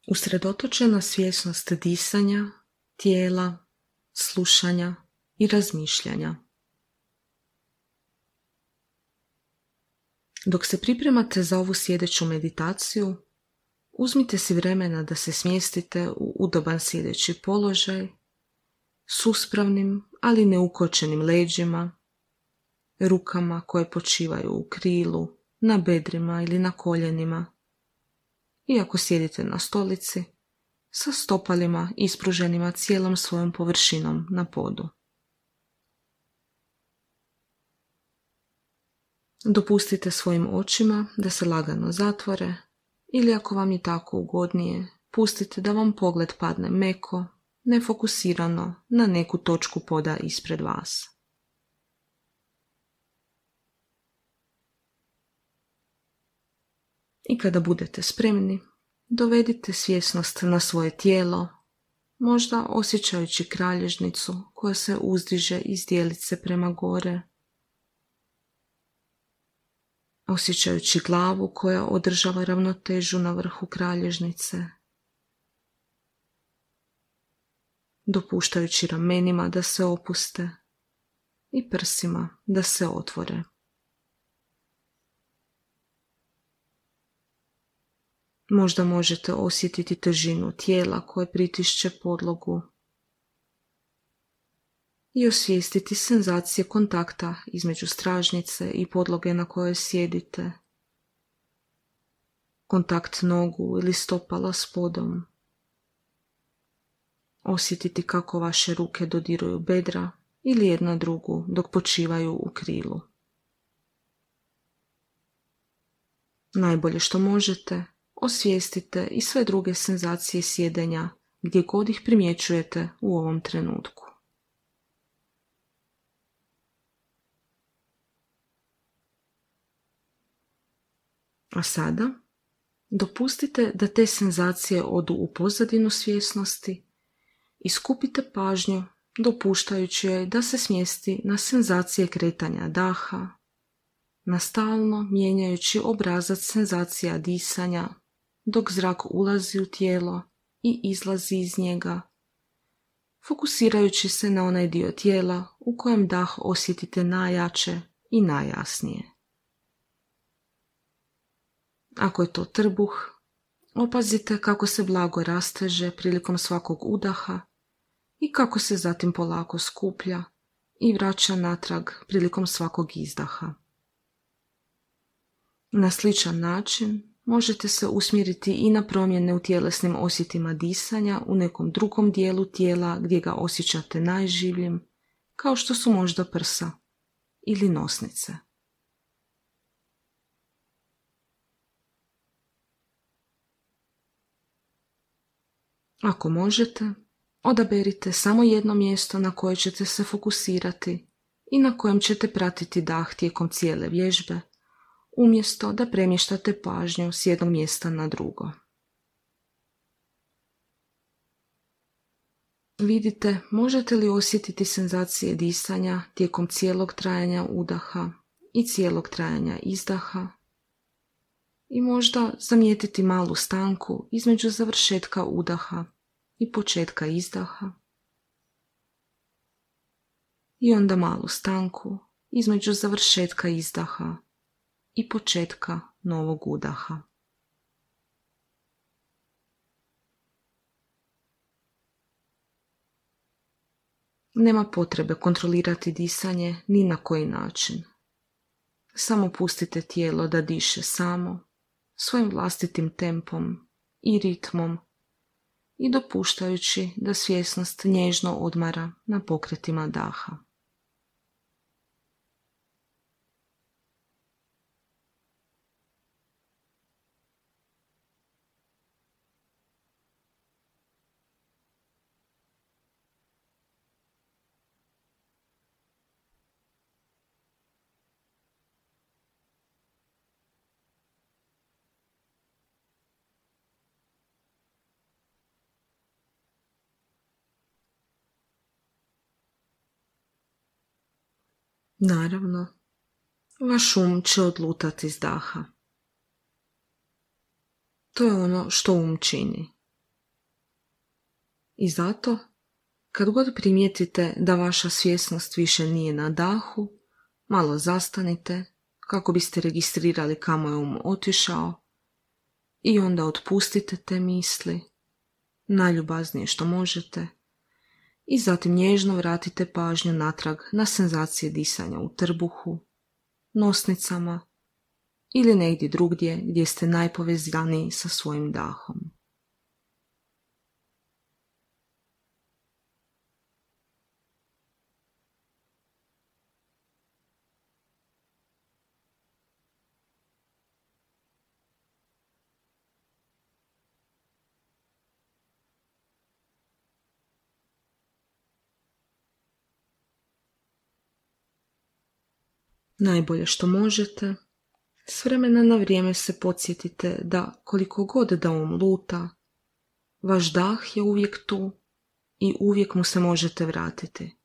Usredotočena svjesnost disanja, tijela, slušanja i razmišljanja. Dok se pripremate za ovu sjedeću meditaciju, uzmite si vremena da se smjestite u udoban sjedeći položaj s uspravnim, ali neukočenim leđima, rukama koje počivaju u krilu, na bedrima ili na koljenima. I ako sjedite na stolici, sa stopalima ispruženima cijelom svojom površinom na podu. Dopustite svojim očima da se lagano zatvore ili ako vam je tako ugodnije, pustite da vam pogled padne meko, nefokusirano na neku točku poda ispred vas. I kada budete spremni, dovedite svjesnost na svoje tijelo, možda osjećajući kralježnicu koja se uzdiže iz dijelice prema gore, osjećajući glavu koja održava ravnotežu na vrhu kralježnice, dopuštajući ramenima da se opuste i prsima da se otvore. Možda možete osjetiti težinu tijela koje pritišće podlogu i osvijestiti senzacije kontakta između stražnjice i podloge na kojoj sjedite. Kontakt nogu ili stopala s podom. Osjetiti kako vaše ruke dodiruju bedra ili jedna drugu dok počivaju u krilu. Najbolje što možete, osvijestite i sve druge senzacije sjedenja gdje god ih primjećujete u ovom trenutku. A sada dopustite da te senzacije odu u pozadinu svjesnosti i skupite pažnju dopuštajući joj da se smjesti na senzacije kretanja daha, na stalno mijenjajući obrazac senzacija disanja dok zrak ulazi u tijelo i izlazi iz njega, fokusirajući se na onaj dio tijela u kojem dah osjetite najjače i najjasnije. Ako je to trbuh, opazite kako se blago rasteže prilikom svakog udaha i kako se zatim polako skuplja i vraća natrag prilikom svakog izdaha. Na sličan način možete se usmjeriti i na promjene u tjelesnim osjetima disanja u nekom drugom dijelu tijela gdje ga osjećate najživljim, kao što su možda prsa ili nosnice. Ako možete, odaberite samo jedno mjesto na koje ćete se fokusirati i na kojem ćete pratiti dah tijekom cijele vježbe, umjesto da premještate pažnju s jednog mjesta na drugo. Vidite, možete li osjetiti senzacije disanja tijekom cijelog trajanja udaha i cijelog trajanja izdaha i možda zamijetiti malu stanku između završetka udaha i početka izdaha i onda malu stanku između završetka izdaha i početka novog udaha. Nema potrebe kontrolirati disanje ni na koji način. Samo pustite tijelo da diše samo, svojim vlastitim tempom i ritmom i dopuštajući da svjesnost nježno odmara na pokretima daha. Naravno, vaš će odlutati iz daha. To je ono što čini. I zato, kad god primijetite da vaša svjesnost više nije na dahu, malo zastanite kako biste registrirali kamo je otišao i onda otpustite te misli, najljubaznije što možete, i zatim nježno vratite pažnju natrag na senzacije disanja u trbuhu, nosnicama ili negdje drugdje gdje ste najpovezaniji sa svojim dahom. Najbolje što možete, s vremena na vrijeme se podsjetite da koliko god da luta, vaš dah je uvijek tu i uvijek mu se možete vratiti.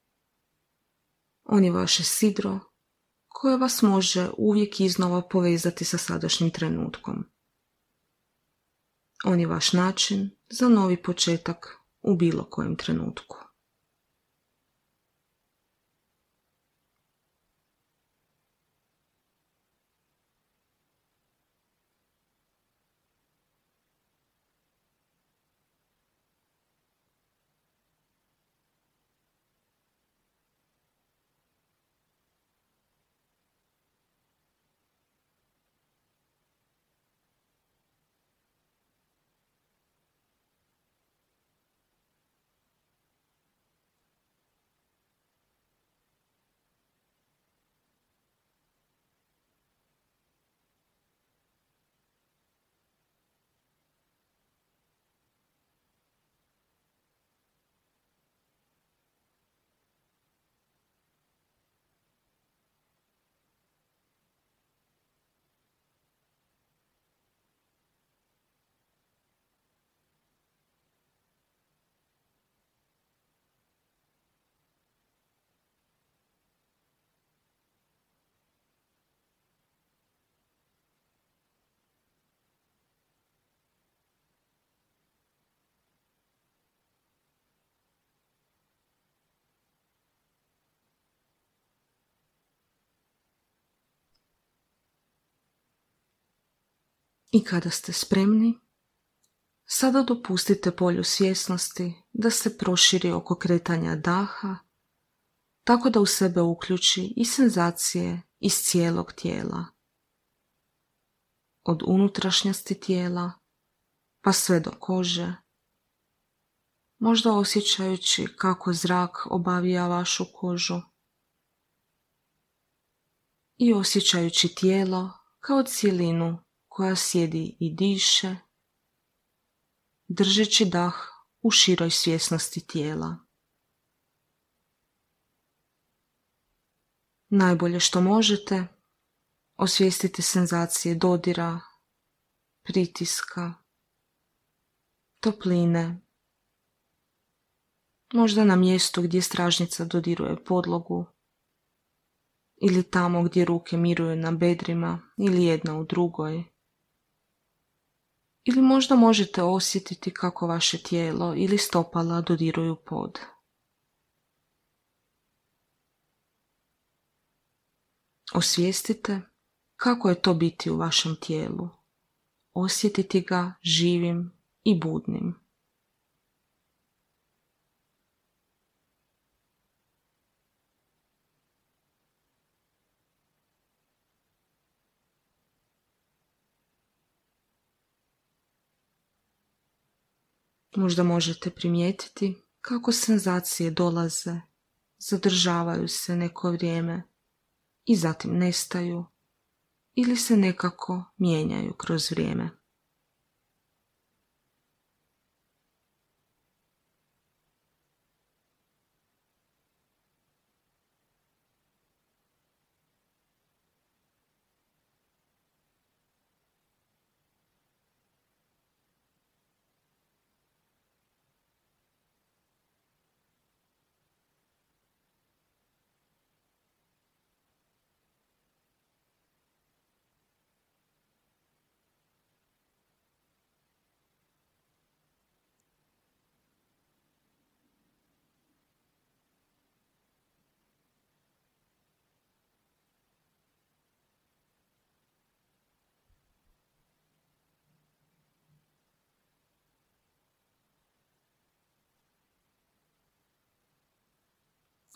On je vaše sidro koje vas može uvijek iznova povezati sa sadašnjim trenutkom. On je vaš način za novi početak u bilo kojem trenutku. I kada ste spremni, sada dopustite polju svjesnosti da se proširi oko kretanja daha, tako da u sebe uključi i senzacije iz cijelog tijela. Od unutrašnjosti tijela pa sve do kože, možda osjećajući kako zrak obavija vašu kožu i osjećajući tijelo kao cjelinu koja sjedi i diše, držeći dah u široj svjesnosti tijela. Najbolje što možete, osvijestite senzacije dodira, pritiska, topline, možda na mjestu gdje stražnjica dodiruje podlogu ili tamo gdje ruke miruju na bedrima ili jedna u drugoj. Ili možda možete osjetiti kako vaše tijelo ili stopala dodiruju pod. Osvijestite kako je to biti u vašem tijelu, osjetiti ga živim i budnim. Možda možete primijetiti kako senzacije dolaze, zadržavaju se neko vrijeme i zatim nestaju ili se nekako mijenjaju kroz vrijeme.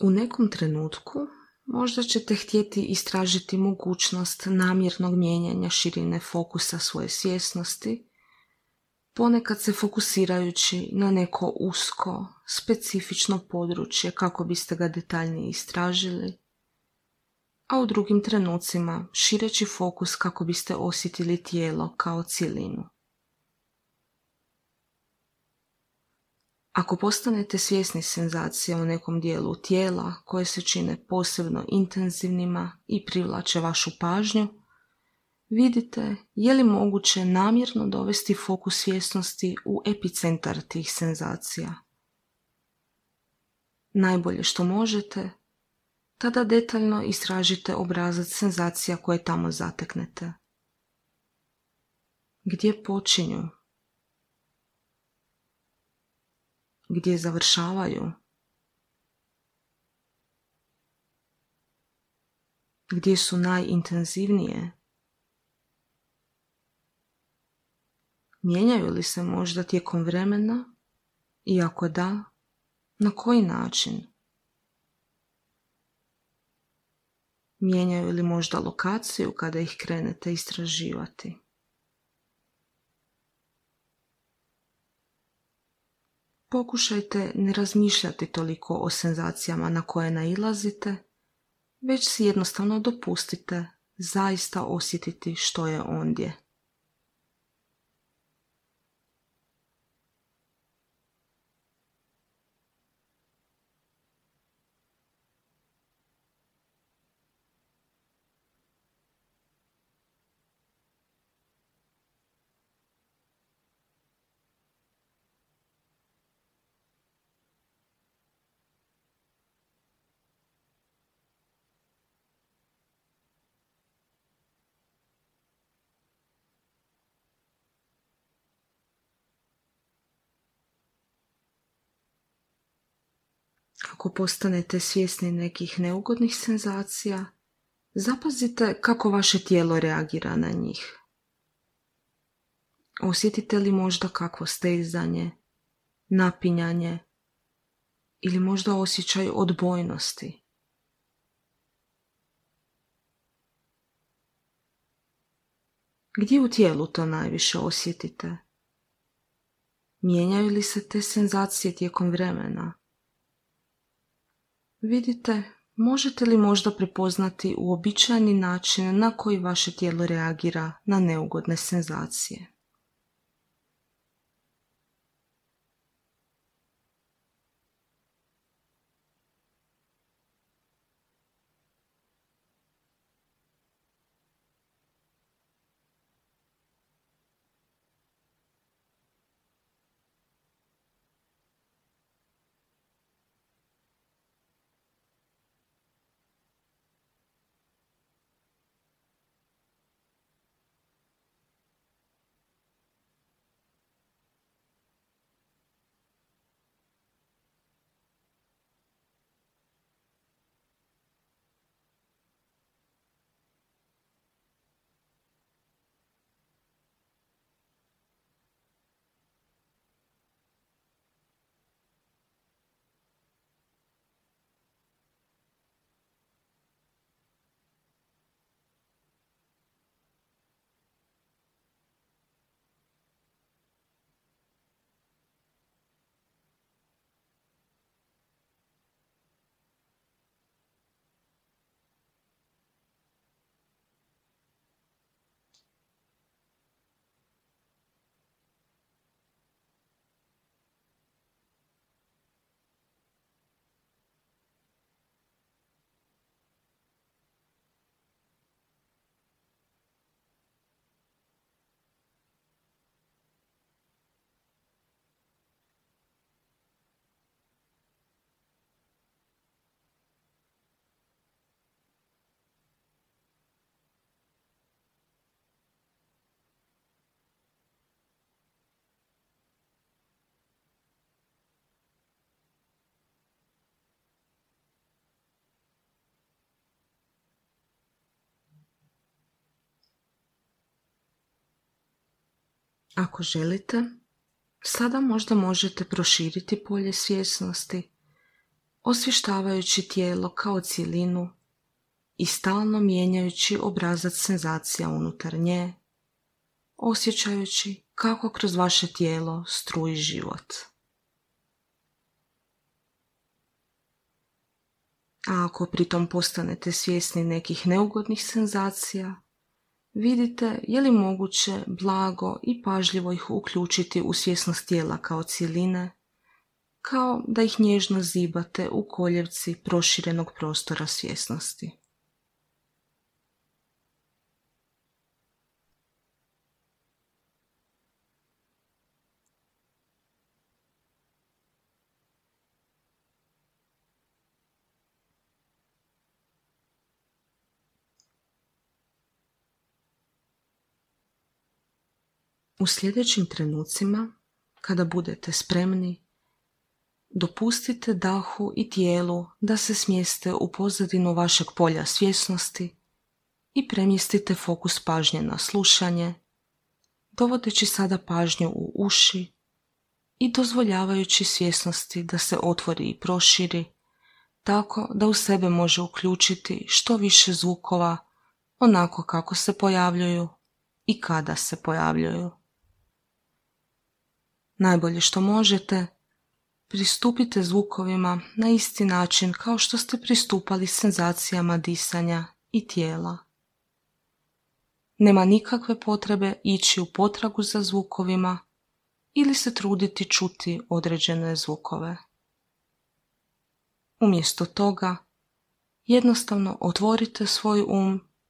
U nekom trenutku možda ćete htjeti istražiti mogućnost namjernog mijenjanja širine fokusa svoje svjesnosti, ponekad se fokusirajući na neko usko, specifično područje kako biste ga detaljnije istražili, a u drugim trenucima šireći fokus kako biste osjetili tijelo kao cjelinu. Ako postanete svjesni senzacija u nekom dijelu tijela koje se čine posebno intenzivnima i privlače vašu pažnju, vidite je li moguće namjerno dovesti fokus svjesnosti u epicentar tih senzacija. Najbolje što možete, tada detaljno istražite obrazac senzacija koje tamo zateknete. Gdje počinju? Gdje završavaju? Gdje su najintenzivnije? Mijenjaju li se možda tijekom vremena? I ako da, na koji način? Mijenjaju li možda lokaciju kada ih krenete istraživati? Pokušajte ne razmišljati toliko o senzacijama na koje nailazite, već si jednostavno dopustite zaista osjetiti što je ondje. Ako postanete svjesni nekih neugodnih senzacija, zapazite kako vaše tijelo reagira na njih. Osjetite li možda kakvo stezanje, napinjanje ili možda osjećaj odbojnosti? Gdje u tijelu to najviše osjetite? Mijenjaju li se te senzacije tijekom vremena? Vidite, možete li možda prepoznati uobičajeni način na koji vaše tijelo reagira na neugodne senzacije? Ako želite, sada možda možete proširiti polje svjesnosti, osvještavajući tijelo kao cjelinu i stalno mijenjajući obrazac senzacija unutar nje, osjećajući kako kroz vaše tijelo struji život. A ako pritom postanete svjesni nekih neugodnih senzacija, vidite je li moguće blago i pažljivo ih uključiti u svjesnost tijela kao cjeline, kao da ih nježno zibate u koljevci proširenog prostora svjesnosti. U sljedećim trenucima, kada budete spremni, dopustite dahu i tijelu da se smjeste u pozadinu vašeg polja svjesnosti i premjestite fokus pažnje na slušanje, dovodeći sada pažnju u uši i dozvoljavajući svjesnosti da se otvori i proširi, tako da u sebe može uključiti što više zvukova onako kako se pojavljuju i kada se pojavljuju. Najbolje što možete, pristupite zvukovima na isti način kao što ste pristupali senzacijama disanja i tijela. Nema nikakve potrebe ići u potragu za zvukovima ili se truditi čuti određene zvukove. Umjesto toga, jednostavno otvorite svoj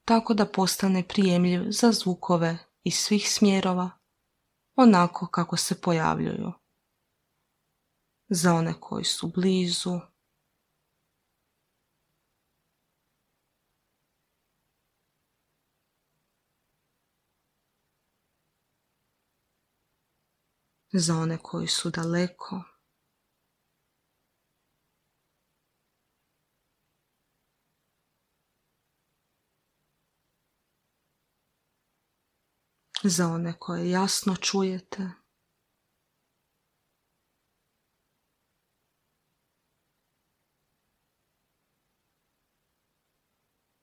tako da postane prijemljiv za zvukove iz svih smjerova, onako kako se pojavljuju. Za one koji su blizu, za one koji su daleko, za one koje jasno čujete,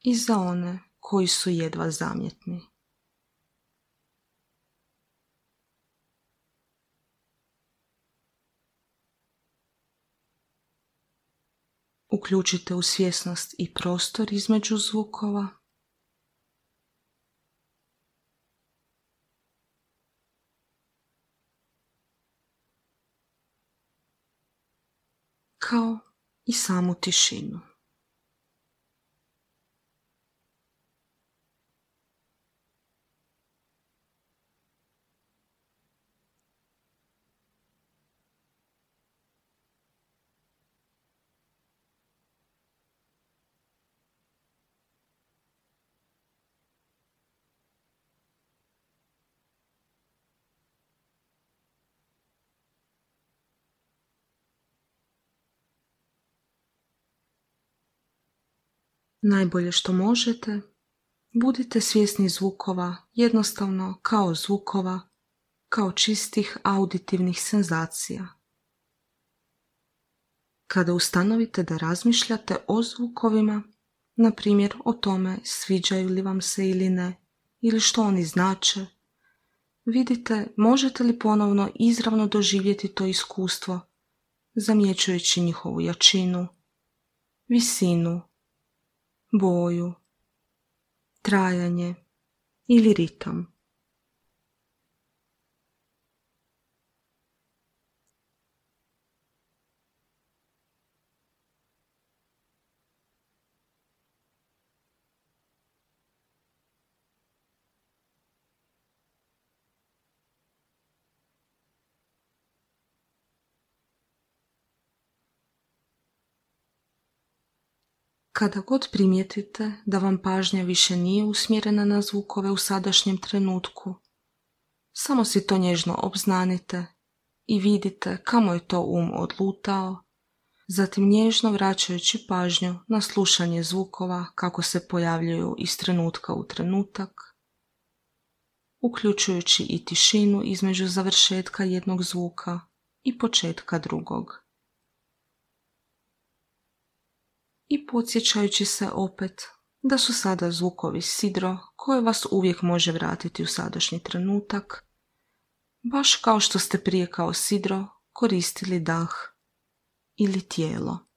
i za one koji su jedva zamjetni. Uključite u svjesnost i prostor između zvukova, kao i samu tišinu. Najbolje što možete, budite svjesni zvukova jednostavno kao zvukova, kao čistih auditivnih senzacija. Kada ustanovite da razmišljate o zvukovima, na primjer o tome sviđaju li vam se ili ne, ili što oni znače, vidite možete li ponovno izravno doživjeti to iskustvo, zamjećujući njihovu jačinu, visinu, boju, trajanje ili ritam. Kada god primijetite da vam pažnja više nije usmjerena na zvukove u sadašnjem trenutku, samo si to nježno obznanite i vidite kamo je to odlutao, zatim nježno vraćajući pažnju na slušanje zvukova kako se pojavljuju iz trenutka u trenutak, uključujući i tišinu između završetka jednog zvuka i početka drugog. i podsjećajući se opet da su sada zvukovi sidro koje vas uvijek može vratiti u sadašnji trenutak, baš kao što ste prije kao sidro koristili dah ili tijelo.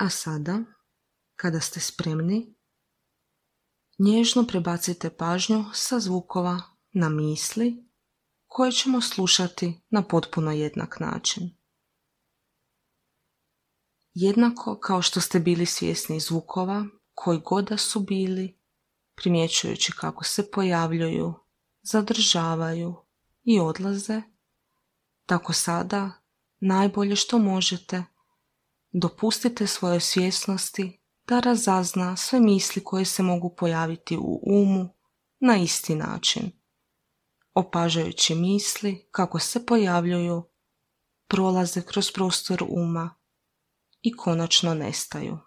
A sada, kada ste spremni, nježno prebacite pažnju sa zvukova na misli koje ćemo slušati na potpuno jednak način. Jednako kao što ste bili svjesni zvukova koji god da su bili, primjećujući kako se pojavljuju, zadržavaju i odlaze, tako sada najbolje što možete dopustite svojoj svjesnosti da razazna sve misli koje se mogu pojaviti u umu na isti način, opažajući misli kako se pojavljuju, prolaze kroz prostor uma i konačno nestaju.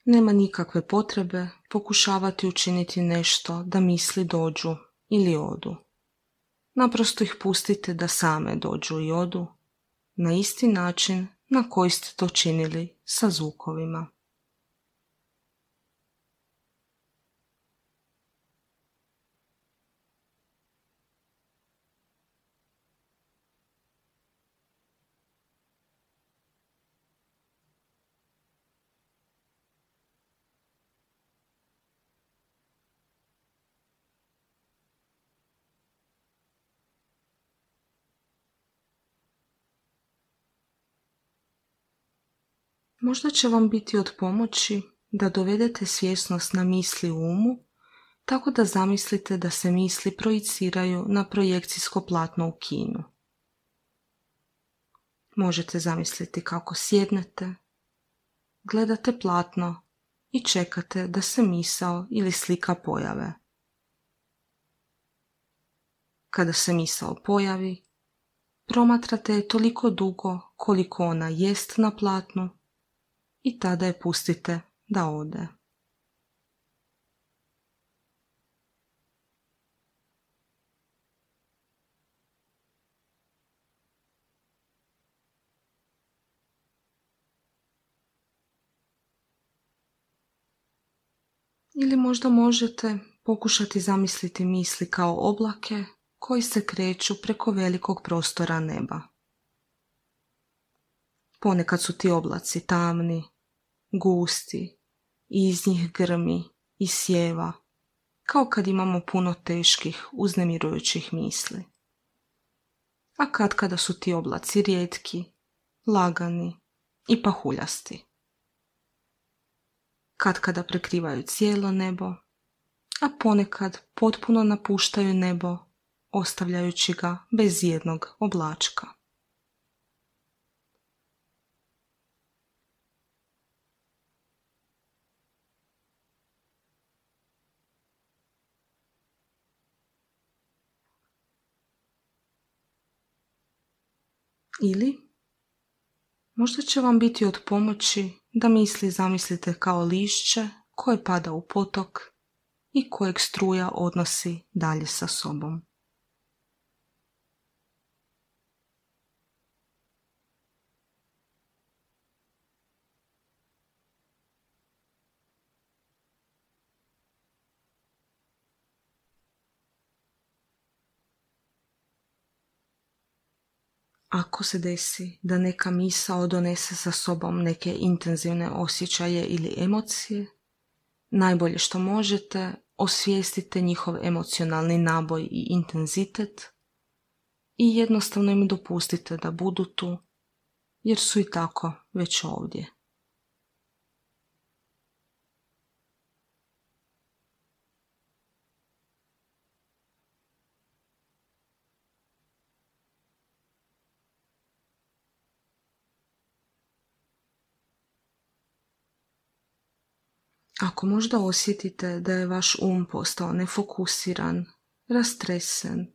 Nema nikakve potrebe pokušavati učiniti nešto da misli dođu ili odu. Naprosto ih pustite da same dođu i odu na isti način na koji ste to činili sa zvukovima. Možda će vam biti od pomoći da dovedete svjesnost na misli u umu, tako da zamislite da se misli projiciraju na projekcijsko platno u kinu. Možete zamisliti kako sjednete, gledate platno i čekate da se misao ili slika pojave. Kada se misao pojavi, promatrate je toliko dugo koliko ona jest na platnu i tada je pustite da ode. Ili možda možete pokušati zamisliti misli kao oblake koji se kreću preko velikog prostora neba. Ponekad su ti oblaci tamni, gusti i iz njih grmi i sjeva, kao kad imamo puno teških, uznemirujućih misli. A kada su ti oblaci rijetki, lagani i pahuljasti. Kada prekrivaju cijelo nebo, a ponekad potpuno napuštaju nebo, ostavljajući ga bez jednog oblačka. Ili možda će vam biti od pomoći da misli zamislite kao lišće koje pada u potok i kojeg struja odnosi dalje sa sobom. Ako se desi da neka misao donese sa sobom neke intenzivne osjećaje ili emocije, najbolje što možete, osvijestite njihov emocionalni naboj i intenzitet i jednostavno im dopustite da budu tu, jer su i tako već ovdje. Ako možda osjetite da je vaš postao nefokusiran, rastresen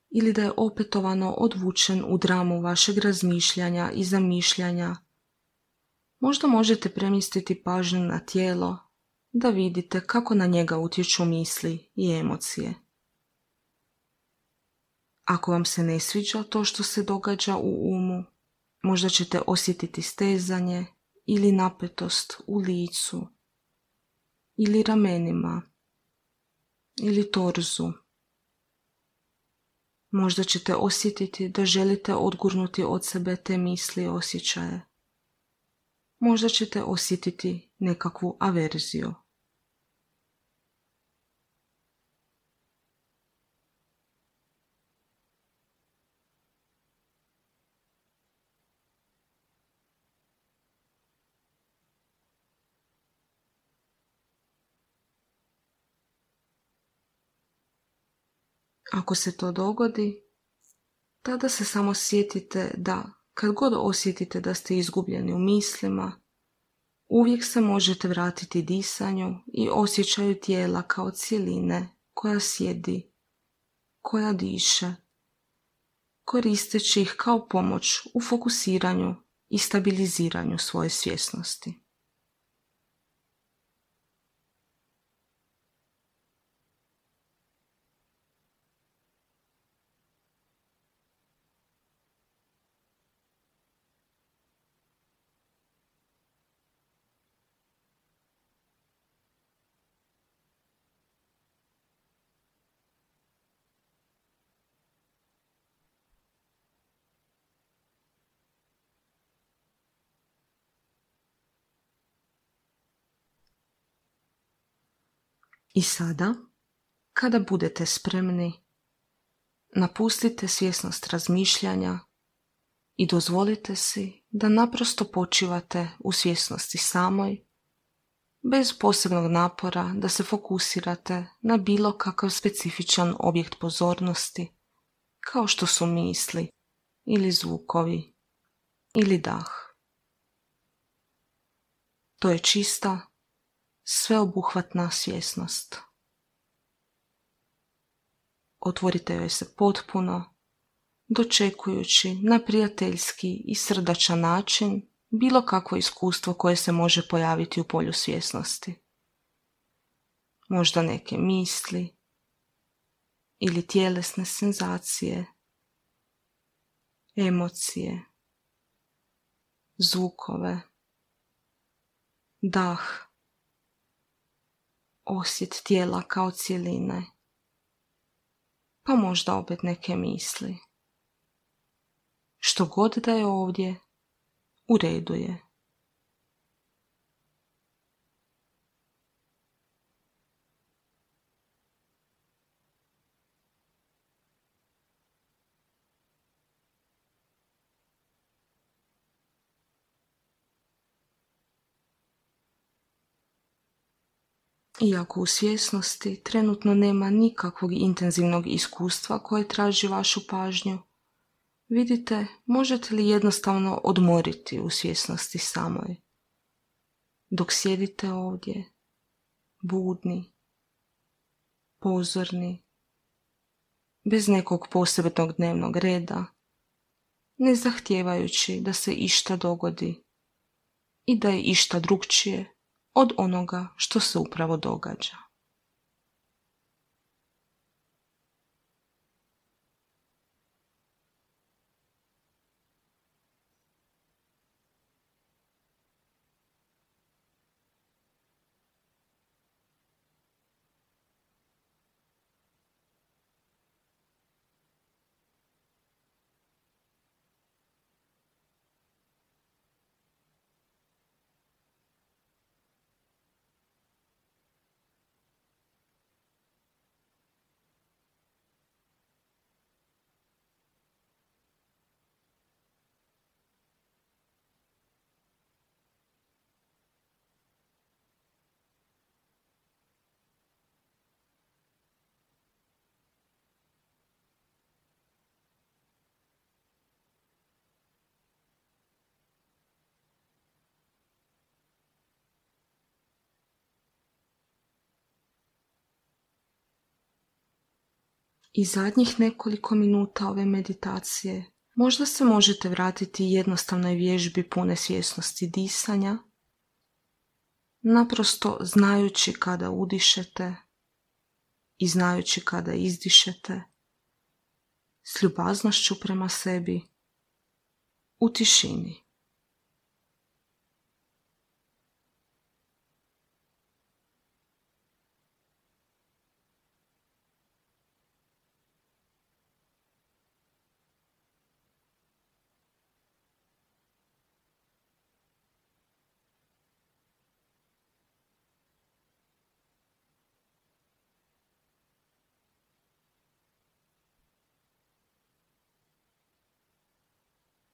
ili da je opetovano odvučen u dramu vašeg razmišljanja i zamišljanja, možda možete premjestiti pažnju na tijelo da vidite kako na njega utječu misli i emocije. Ako vam se ne sviđa to što se događa u umu, možda ćete osjetiti stezanje ili napetost u licu, ili ramenima, ili torzu. Možda ćete osjetiti da želite odgurnuti od sebe te misli i osjećaje. Možda ćete osjetiti nekakvu averziju. Ako se to dogodi, tada se samo sjetite da, kad god osjetite da ste izgubljeni u mislima, uvijek se možete vratiti disanju i osjećaju tijela kao cjeline koja sjedi, koja diše, koristeći ih kao pomoć u fokusiranju i stabiliziranju svoje svjesnosti. I sada, kada budete spremni, napustite svjesnost razmišljanja i dozvolite si da naprosto počivate u svjesnosti samoj, bez posebnog napora da se fokusirate na bilo kakav specifičan objekt pozornosti, kao što su misli ili zvukovi ili dah. To je čista, sveobuhvatna svjesnost. Otvorite joj se potpuno, dočekujući na prijateljski i srdačan način bilo kakvo iskustvo koje se može pojaviti u polju svjesnosti. Možda neke misli ili tjelesne senzacije, emocije, zvukove, dah, osjet tijela kao cjeline, pa možda opet neke misli. Što god da je ovdje, u redu je. Iako u svjesnosti trenutno nema nikakvog intenzivnog iskustva koje traži vašu pažnju, vidite možete li jednostavno odmoriti u svjesnosti samoj. Dok sjedite ovdje, budni, pozorni, bez nekog posebnog dnevnog reda, ne zahtijevajući da se išta dogodi i da je išta drukčije od onoga što se upravo događa. I zadnjih nekoliko minuta ove meditacije možda se možete vratiti jednostavnoj vježbi pune svjesnosti disanja, naprosto znajući kada udišete i znajući kada izdišete, s ljubaznošću prema sebi, u tišini.